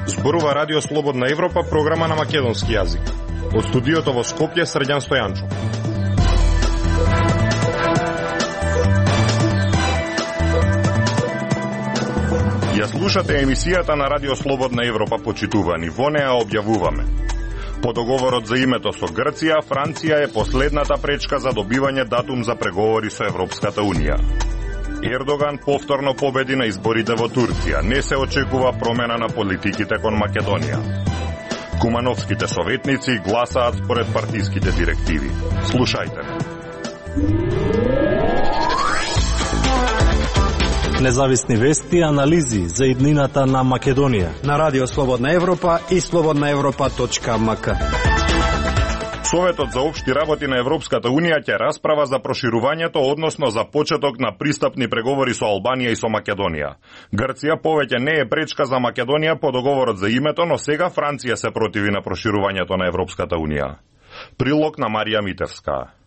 Зборува Радио Слободна Европа, програма на македонски јазик. Од студиото во Скопје, Срđan Стојанчо. Ја слушате емисијата на Радио Слободна Европа, почитувани. Во неа објавуваме: по договорот за името со Грција, Франција е последната пречка за добивање датум за преговори со Европската Унија. Ердоган повторно победи на изборите во Турција. Не се очекува промена на политиките кон Македонија. Кумановските советници гласаат според партиските директиви. Слушајте. Независни вести и анализи за иднината на Македонија на Радио Слободна Европа и slobodnaevropa.mk. Советот за општи работи на Европската Унија ќе расправа за проширувањето, односно за почеток на пристапни преговори со Албанија и со Македонија. Грција повеќе не е пречка за Македонија по договорот за името, но сега Франција се противи на проширувањето на Европската Унија. Прилог на Марија Митевска.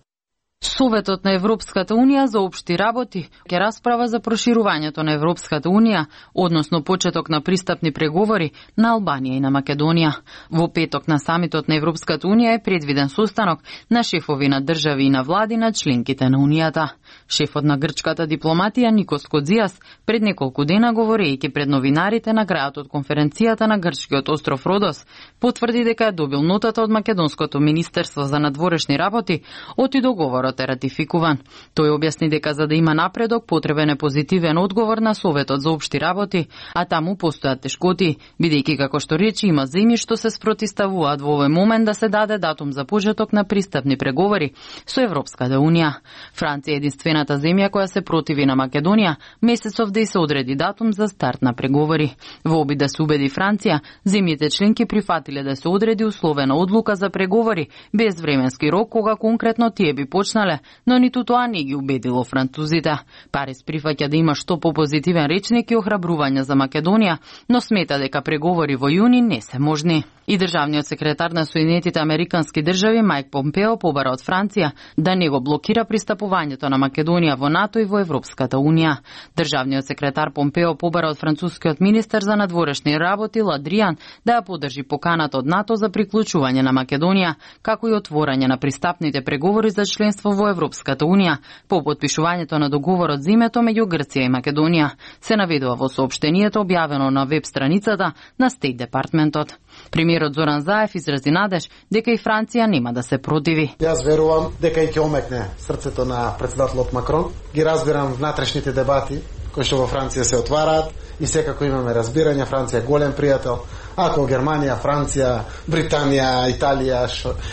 Советот на Европската Унија за општи работи ќе расправа за проширувањето на Европската Унија, односно почеток на пристапни преговори на Албанија и на Македонија. Во петок на самитот на Европската Унија е предвиден состанок на шефови на држави и на влади на членките на Унијата. Шефот на грчката дипломатија Никос Кодзијас пред неколку дена, говорејќи пред новинарите на крајот од конференцијата на грчкиот остров Родос, потврди дека е добил нотата од македонското министерство за надворешни работи оти договорот е ратификуван. Тој објасни дека за да има напредок потребен е позитивен одговор на Советот за општи работи, а таму постојат тешкоти, бидејќи како што речи има земји што се спротивставуваат во овој момент да се даде датум за почеток на пристапни преговори со Европската Унија. Франција е единствената земја која се противи на Македонија месецов да и се одреди датум за старт на преговори. Во обид да се убеди Франција, земјите членки прифатиле да се одреди условена одлука за преговори без временски рок кога конкретно тие би почнале, но ниту тоа не ги убедило французите. Парис прифаќа да има што попозитивен речник и охрабрување за Македонија, но смета дека преговори во јуни не се можни. И државниот секретар на Соединетите Американски држави Мајк Помпео побара од Франција да не го блокира пристапувањето на Македонија во НАТО и во Европската Унија. Државниот секретар Помпео побара од францускиот министер за надворешни работи Ладриан да ја поддржи поканата од НАТО за приклучување на Македонија, како и отворање на пристапните преговори за членство во Европската Унија по потпишувањето на договорот за името меѓу Грција и Македонија, се наведува во соопштението објавено на веб страницата на Стейт Департментот. Премиерот Зоран Заев изрази надеж дека и Франција нема да се противи. Јас верувам дека и ќе омекне срцето на претседателот Макрон. Ги разбирам внатрешните дебати кои што во Франција се отвараат и секако имаме разбирање. Франција е голем пријател. Ако Германија, Франција, Британија, Италија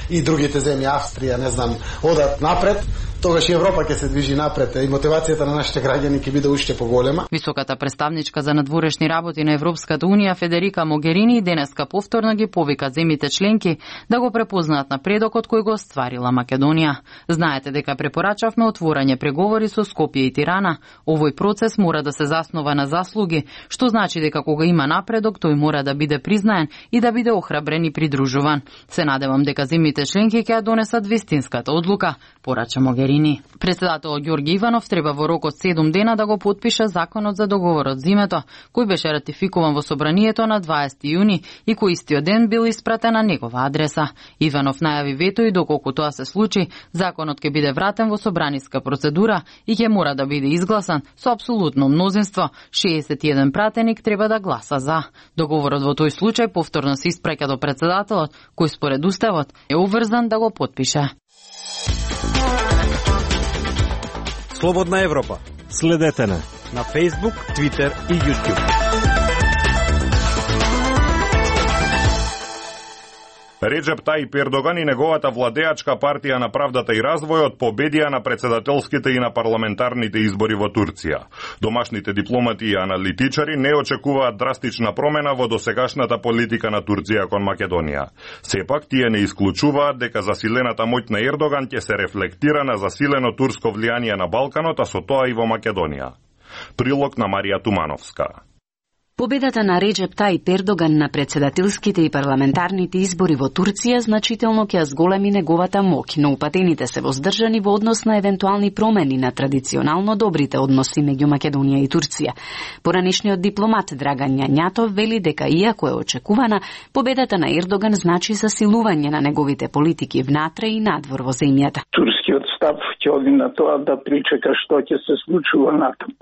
и другите земји, Австрија, не знам, одат напред, тогаш и Европа ќе се движи напред и мотивацијата на нашите граѓани ќе биде уште поголема. Високата представничка за надворешни работи на Европската Унија Федерика Могерини денеска повторно ги повика земјите членки да го препознаат напредокот кој го остварила Македонија. Знаете дека препорачавме отворање преговори со Скопје и Тирана. Овој процес мора да се заснова на заслуги, што значи дека кога има напредок, тој мора да биде признаен и да биде охрабрен и придружуван. Се надевам дека земјите членки ќе ја донесат вистинската одлука, порача Могерини. Председателот Ѓорги Иванов треба во рок од 7 дена да го потпише законот за договорот за името, кој беше ратификуван во собранието на 20 јуни и кој истиот ден бил испратен на негова адреса. Иванов најави вето и доколку тоа се случи, законот ќе биде вратен во собраниска процедура и ќе мора да биде изгласан со апсолутно мнозинство. 61 пратеник треба да гласа за. Договорот во тој случај повторно се испраќа до председателот, кој според уставот е обврзан да го потпише. Слободна Европа. Следете на Facebook, Twitter и YouTube. Реджеп Тајип Ердоган и неговата владеачка партија на правдата и развојот победија на председателските и на парламентарните избори во Турција. Домашните дипломати и аналитичари не очекуваат драстична промена во досегашната политика на Турција кон Македонија. Сепак, тие не исклучуваат дека засилената моќ на Ердоган ќе се рефлектира на засилено турско влијание на Балканот, а со тоа и во Македонија. Прилог на Марија Тумановска. Победата на Реджеп Тајип Ердоган на председателските и парламентарните избори во Турција значително ќе зголеми неговата моќ, но упатените се воздржани во однос на евентуални промени на традиционално добрите односи меѓу Македонија и Турција. Поранешниот дипломат Драган Јањатов вели дека иако е очекувана, победата на Ердоган значи засилување на неговите политики внатре и надвор во земјата. Турскиот став ќе оди на тоа да причека што ќе се случува натаму.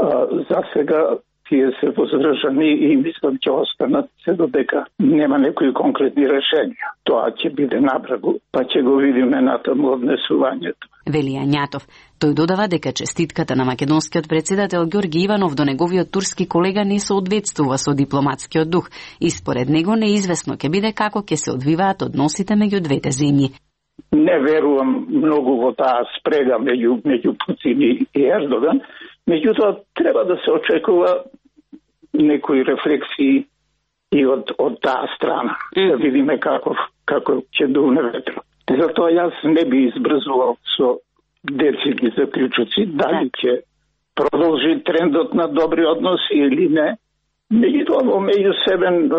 За сега тие се воздржани и мислам ќе останат се додека нема некои конкретни решенија. Тоа ќе биде набрагу, па ќе го видиме натаму однесувањето. Вели Јањатов. Тој додава дека честитката на македонскиот председател Ѓорги Иванов до неговиот турски колега не соодветствува со дипломатскиот дух и според него неизвестно ќе биде како ќе се одвиваат односите меѓу двете земји. Не верувам многу во таа спрега меѓу Путин и Ердоган, меѓутоа треба да се очекува некои рефлексии и од таа страна. Да видиме како ќе дуне ветро. Затоа јас не би избрзувал со децидни заклучоци, дали ќе продолжи трендот на добри односи или не. Меѓутоа во меѓусебен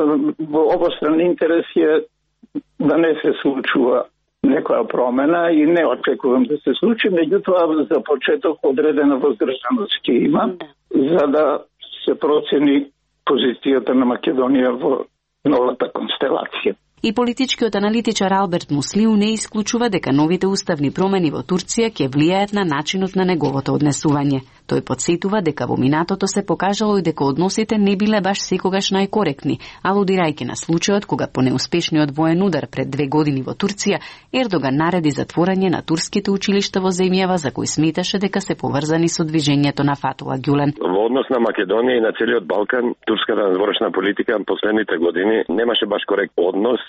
во обостран интерес е да не се случува некоја промена и не очекувам да се случи, меѓутоа за почеток одредена воздржаност ќе има за да се процени позицијата на Македонија во новата констелација. И политичкиот аналитичар Алберт Муслиу не исклучува дека новите уставни промени во Турција ќе влијаат на начинот на неговото однесување. Тој подсетува дека во минатото се покажало и дека односите не биле баш секогаш најкоректни, алудирајќи на случајот кога по неуспешниот воен удар пред 2 години во Турција, Ердоган нареди затворање на турските училишта во земјава за кои сметаше дека се поврзани со движењето на Фатула Ѓулен. Во однос на Македонија и на целиот Балкан, турската надворешна политика последните години немаше баш коректен однос,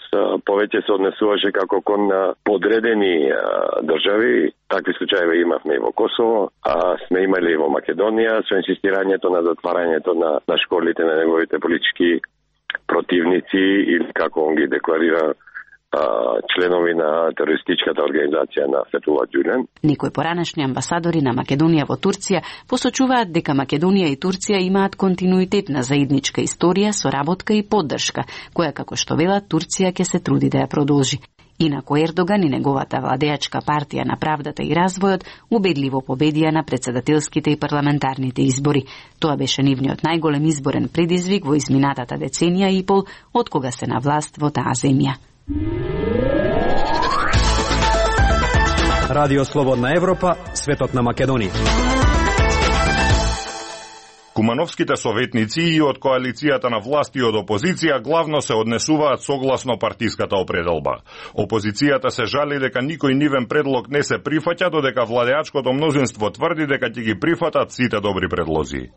повеќе се однесуваше како кон подредени држави. Такви случаи имавме и во Косово, а сме имали и во Македонија со инсистирањето на затварањето на школите на неговите политички противници или како он ги декларира членови на терористичката организација на Фетула Ѓулен. Некои поранешни амбасадори на Македонија во Турција посочуваат дека Македонија и Турција имаат континуитет на заедничка историја, соработка и поддршка, која како што велат Турција ќе се труди да ја продолжи. Инако Ердоган и неговата владеачка партија на правдата и развојот убедливо победија на председателските и парламентарните избори. Тоа беше нивниот најголем изборен предизвик во изминатата деценија и пол од кога се на власт во таа земја. Радио Слободна Европа, светот на Македонија. Кумановските советници и од коалицијата на власт и од опозиција главно се однесуваат согласно партиската определба. Опозицијата се жали дека никој нивен предлог не се прифаќа, додека владеачкото мнозинство тврди дека ќе ги прифатат сите добри предлози.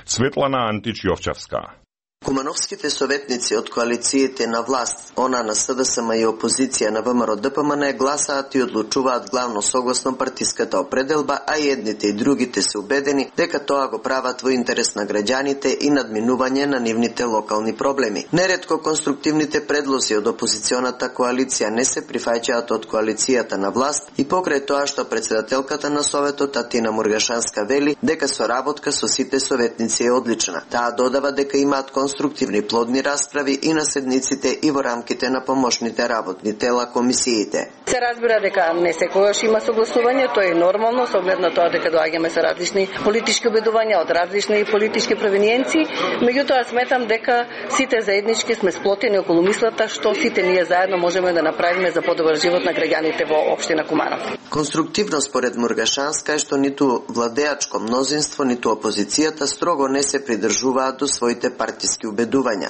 Светлана Антич Јовчевска. Кумановските советници од коалициите на власт, она на СДСМ и опозиција на ВМРО ДПМН гласаат и одлучуваат главно согласно партиската определба, а и едните и другите се убедени дека тоа го прават во интерес на граѓаните и надминување на нивните локални проблеми. Неретко конструктивните предлози од опозиционата коалиција не се прифаќаат од коалицијата на власт и покрај тоа што председателката на Советот Татина Мургашанска вели дека соработка со сите советници е одлична. Таа додава дека имаат конструктивни плодни расправи и на седниците и во рамките на помошните работни тела комисиите. Се разбира дека не секогаш има согласување, тоа е нормално со оглед на тоа дека доаѓаме со различни политички убедувања од различни политички провиниенции, меѓутоа сметам дека сите заеднички сме сплотени околу мислата што сите ние заедно можеме да направиме за подобар живот на граѓаните во општина Куманов. Конструктивно според Мургашанска е што ниту владеачко мнозинство, ниту опозицијата строго не се придржуваат до своите партиски убедувања.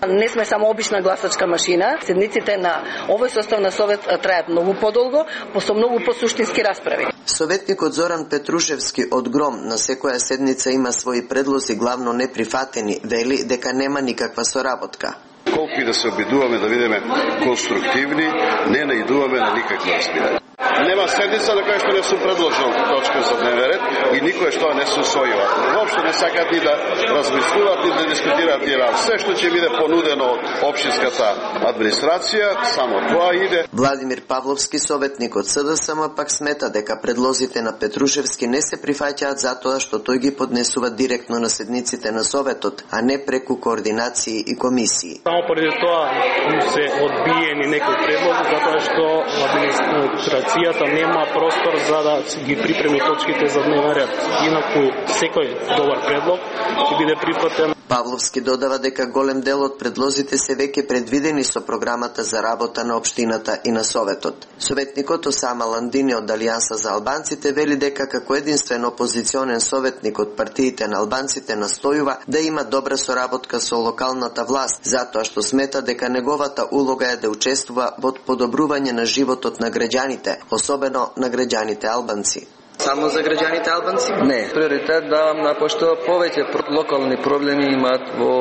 Не сме само обична гласачка машина. Седниците на овој состав на Совет трајат многу подолго, со многу посуштински расправи. Советникот Зоран Петрушевски од ГРОМ на секоја седница има своји предлози главно неприфатени, вели дека нема никаква соработка. Колку и да се обидуваме да бидеме конструктивни, не наидуваме на никакво разбирање. Нема седница на која што не сум предложил точка за дневен ред и никој што не се усвојува. Воопшто не сакат ни да размислуваат ни да дискутираат и рад. Се што ќе биде понудено од општинската администрација, само тоа иде. Владимир Павловски, советник од СДСМ, пак смета дека предлозите на Петрушевски не се прифаќаат затоа што тој ги поднесува директно на седниците на Советот, а не преку координации и комисии. Само поради тоа се одбиени некои предлози затоа што администрацијата нема простор за да ги припреми точките за дневен ред. Инаку секој добар предлог ќе биде прифатен. Павловски додава дека голем дел од предлозите се веќе предвидени со програмата за работа на општината и на Советот. Советникот Осама Ландини од Алијанса за албанците вели дека како единствен опозиционен советник од партиите на албанците настојува да има добра соработка со локалната власт, затоа што смета дека неговата улога е да учествува во подобрување на животот на граѓаните, особено на граѓаните албанци. Само за граѓаните албанци? Не. Приоритет давам на пошто повеќе локални проблеми имаат во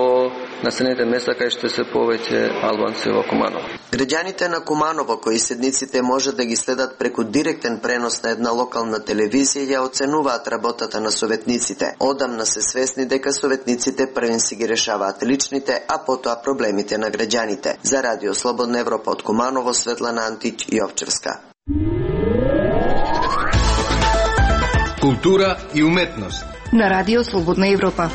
населените места кај што се повеќе албанци во Куманово. Граѓаните на Куманово кои седниците може да ги следат преку директен пренос на една локална телевизија ја оценуваат работата на советниците. Одамна се свесни дека советниците првен си ги решаваат личните, а потоа проблемите на граѓаните. За Радио Слободна Европа од Куманово, Светлана Антич, Јовчевска. Култура и уметност на Радио Слободна Европа.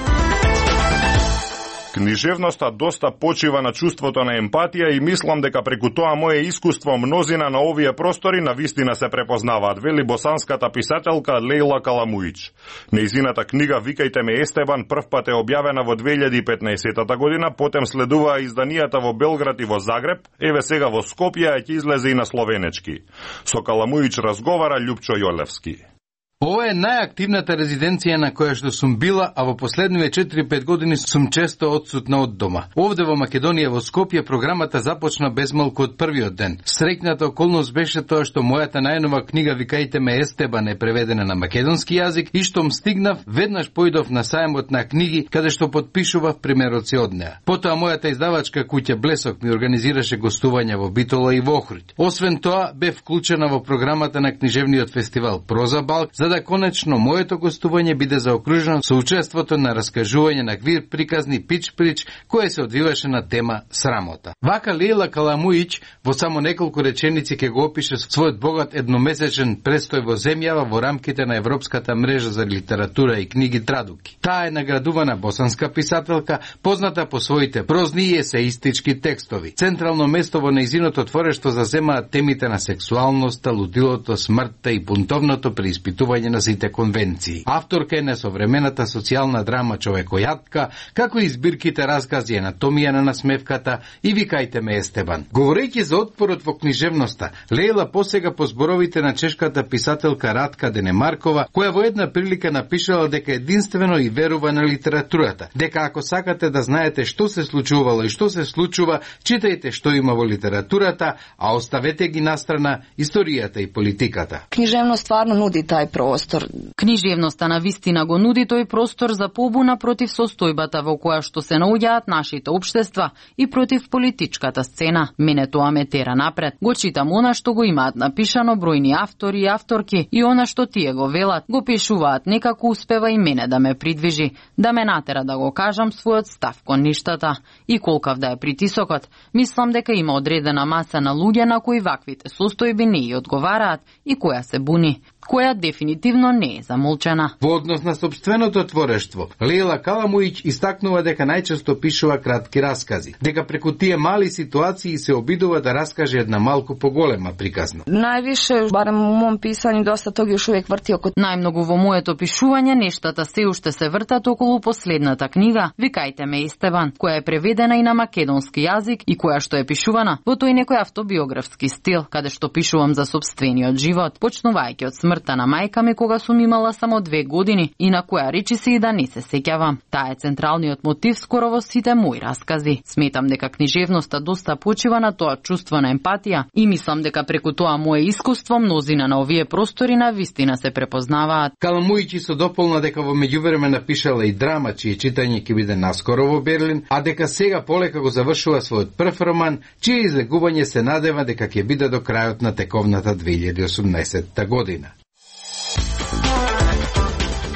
Книжевноста доста почива на чувството на емпатија и мислам дека преку тоа мое искуство мнозина на овие простори на вистина се препознаваат, вели босанската писателка Лейла Каламуич. Нејзината книга Викајте ме Естебан првпат е објавена во 2015 година, потем следуваа изданијата во Белград и во Загреб, еве сега во Скопје ќе излезе и на словенечки. Со Каламуич разговара Љупчо Јолевски. Ова е најактивната резиденција на која што сум била, а во последниве 4-5 години сум често отсутна од дома. Овде во Македонија, во Скопје, програмата започна безмалку од првиот ден. Среќната околност беше тоа што мојата најнова книга Викајте ме Естебан е преведена на македонски јазик и штом стигнав, веднаш поидов на сајмот на книги, каде што подпишував примероци од неа. Потоа мојата издавачка куќа Блесок ми организираше гостувања во Битола и во Охрид. Освен тоа, бев вклучена во програмата на книжевниот фестивал Проза Балк, за да конечно моето гостување биде заокружено со учеството на раскажување на квир приказни пич-прич кое се одвиваше на тема срамота. Вака Лейла Каламуич во само неколку реченици ќе го опише својот богат едномесечен престој во земјава во рамките на Европската мрежа за литература и книги Традуки. Таа е наградувана босанска писателка, позната по своите прозни и есеистички текстови. Централно место во нејзиното творештво заземаат темите на сексуалноста, лудилото, смртта и бунтовното преиспитување на сите конвенции. Авторка е на современата социјална драма Човекојатка, како и збирките разкази Анатомија на насмевката и Викајте ме Естебан. Говорејќи за отпорот во книжевноста, Лейла посега по зборовите на чешката писателка Радка Денемаркова, која во една прилика напишала дека единствено и верува на литературата, дека ако сакате да знаете што се случувало и што се случува, читајте што има во литературата, а оставете ги настрана историјата и политиката. Книжевност стварно нуди тај простор. Книжевноста на вистина го нуди тој простор за побуна против состојбата во која што се наоѓаат нашите општества и против политичката сцена. Мене тоа ме тера напред. Го читам она што го имаат напишано бројни автори и авторки и она што тие го велат, го пишуваат, некако успева и мене да ме придвижи, да ме натера да го кажам својот став кон ништата. И колкав да е притисокот, мислам дека има одредена маса на луѓе на кои ваквите состојби не ја одговараат и која се буни, која дефинитивно не е замолчена. Во однос на собственото творештво, Лейла Каламуич истакнува дека најчесто пишува кратки раскази, дека преку тие мали ситуации се обидува да раскаже една малку поголема приказна. Највише, барем во мојом писање, доста тоги уште увек врти околу. Најмногу во моето пишување нештата се уште се вртат околу последната книга Викајте ме Естебан, која е преведена и на македонски јазик и која што е пишувана во тој некој автобиографски стил, каде што пишувам за сопствениот живот, почнувајќи од смрт смртта на мајка ми кога сум имала само 2 години и на која речи се и да не се сеќавам. Таа е централниот мотив скоро во сите мои раскази. Сметам дека книжевноста доста почива на тоа чувство на емпатија и мислам дека преку тоа мое искуство мнозина на овие простори на вистина се препознаваат. Каламуичи со дополна дека во меѓувреме напишала и драма чие читање ќе биде наскоро во Берлин, а дека сега полека го завршува својот прв роман, чие излегување се надева дека ќе биде до крајот на тековната 2018 година.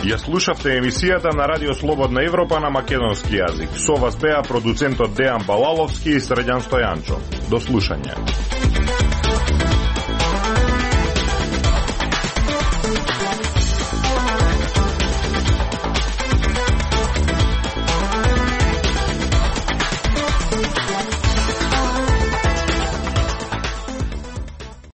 Ја слушавте емисијата на Радио Слободна Европа на македонски јазик. Со вас беа продуцентот Дејан Балаловски и Срđan Стојанчо. До слушање.